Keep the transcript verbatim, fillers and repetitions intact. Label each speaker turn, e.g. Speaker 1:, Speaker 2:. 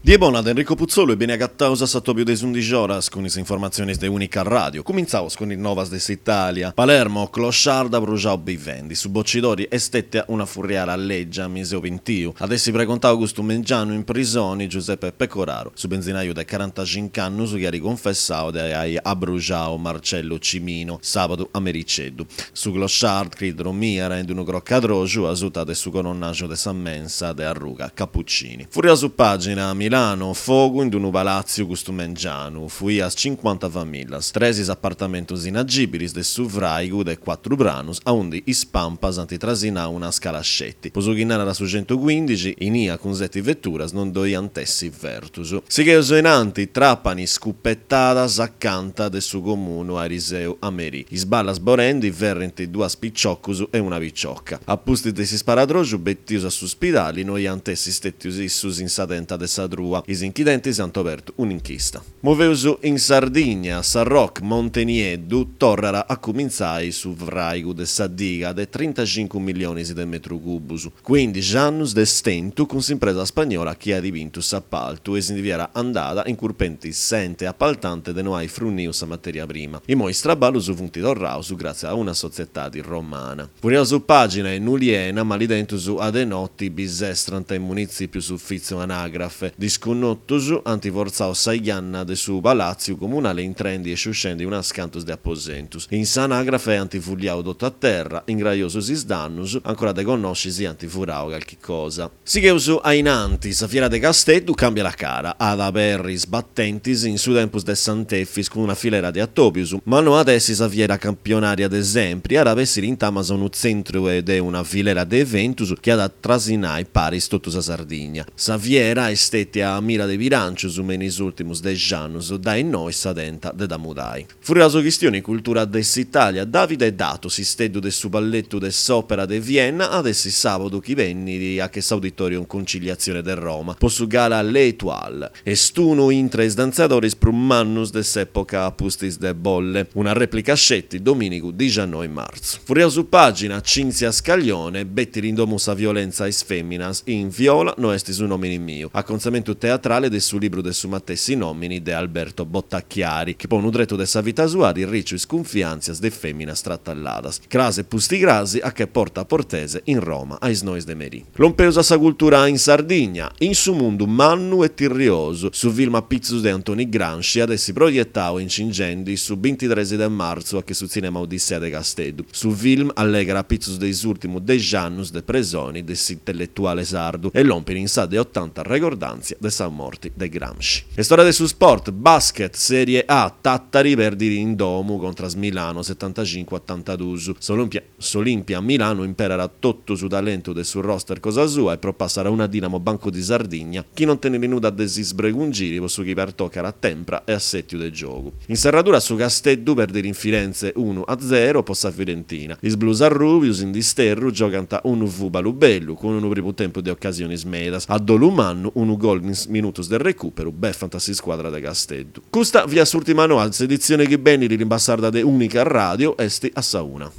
Speaker 1: Die bona de Enrico Putzolu e beni agataus a s'atobiu de is undixi oras cun is informatzionis de Unica Radio. Cumintzaus cun is novas de s'Italia. Palermo, clochard abruxau bivendi. Su bocidori est stètia una furriada lègia, mi seu pintiu. At essi pregontau custu mengianu in prisoni Giuseppe Pecoraro, su benzinaju de corantacinc'annus chi at cunfessau de ai abruxau Marcello Cimino sàbadu a mericeddu. Su clochard, chi dromiat in dd'unu crocadroxu a suta de su coronnaxu de sa mensa de arruga Cappuccini. Furriaus pàgina, Milano, fogu in dd'unu palàtziu custu mengianu, fuias cincuanta famìllias, tres is apartamentus inagìbilis de su fràigu de cuatru pranus aundi is pampas ant trasinau una scala sceti. Po su chi narat su centucuindixi, inia cun seti veturas non ddoi ant essi fertus. Sigheus in anti, Trapani, scupetadas acanta de su comunu ariseu a merì. Is ballas bolendi ferrint duas piciocus e una picioca. A pustis de s'isparadroxu betius a su spidali no iant essi stètius issus in sa tenta de sa trua. Is inchidentis ant obertu un'inchista. Moveus in Sardigna, Sarroch, Monte Nieddu, torrat a cumintzai su fràigu de sa diga de trintacincu millionis de metru cubus. Cuindixi annus de stentu cun s'impresa spagnola chi at bintu s'apaltu e si ndi fiat andada incurpendi s'ente apaltante de no ai fruniu sa matèria prima. Imoi is traballus funt torraus gràtzias a una sotzietadi romana. Furriaus pàgina in Oliena, malidentus a de noti bisestrant in munitzìpiu s'ufìtziu anàgrafe. Disconnotus ant fortzau sa janna de su palàtziu comunale intrendi e sciuscendi unas cantus de aposentus. In s'anàgrafe ant fulliau totu a terra, ingraiosus is dannus, ancora de connosci si ant furau calchi cosa. Sigheus a in antis, sa fiera de Casteddu càmbiat cara, at a aberri is batentis in su tempus de Sant'Efis cun una filera de atòbius, ma no at essi sa fiera campionària de sempri, at a bessiri intamas unu tzentru de una filera de eventus chi at a trasinai paris totu sa Sardigna. Sa fiera est stètia a mira de bilàncius me in is ùrtimus dexi annus, dae innoi sa tenta de dda mudai. Furriaus chistioni cultura de s'Italia, Davide Dato, s'isteddu de su balletu de s'Òpera de Vienna, at essi sàbadu chi benit a che s'Auditorium Conciliazione de Roma po su gala L'Étoile. Est unu intre is dantzadoris prus mannus de s'època a pustis de Bolle. Una rèplica sceti domìnigu dixiannoi martzu. Furriaus pàgina, Cinzia Scaglione, betiri in domu sa violentza a is fèminas in Viola no est su nòmini miu, acontzamentu teatrale de su libru de su matessi nòmini de Alberto Bottacchiari, chi po unu tretu de sa vita sua at irriciu is cunfiàntzias de fèminas tratalladas. Cras e pusticras a che Porta Portese in Roma a is nois de merì. Lompeus a sa cultura in Sardigna, in su mundu mannu e tirriosu, su film a pitzus de Antoni Gramsci at essi proietau incingendi su bintitres de martzu a che su Tzìnema Odissea de Casteddu. Su film allegat a pitzus de is ùrtimus dexi annus de presoni de s'intelletuale sardu e lompit in sa de otanta regordàntzia de sa morti de Gramsci. Est ora de su sport, basket, Serie A, Tàtari perdit in domu contras Milano setantacincu otantaduus. S'Olimpia S'Olimpia Milano imperat totu su talentu de su roster cosa sua e propassat una Dinamo Banco di Sardigna chi non tenit nudda de si sbregungiri po su chi pertocat a tempra e assètiu de giogu. In serradura su Casteddu perdit in Firenze unu a zero po sa Fiorentina. Is blues arrùbius in disterru giogant unu fùbalu bellu, cun unu primu tempus de ocasionis medas. A dolu mannu unu gol in is minutus de recùperu befant s'iscuadra de Casteddu. Custa fiat s'ùrtima noa, s'editzione chi benit limba sarda de Unica Radio est a sa una.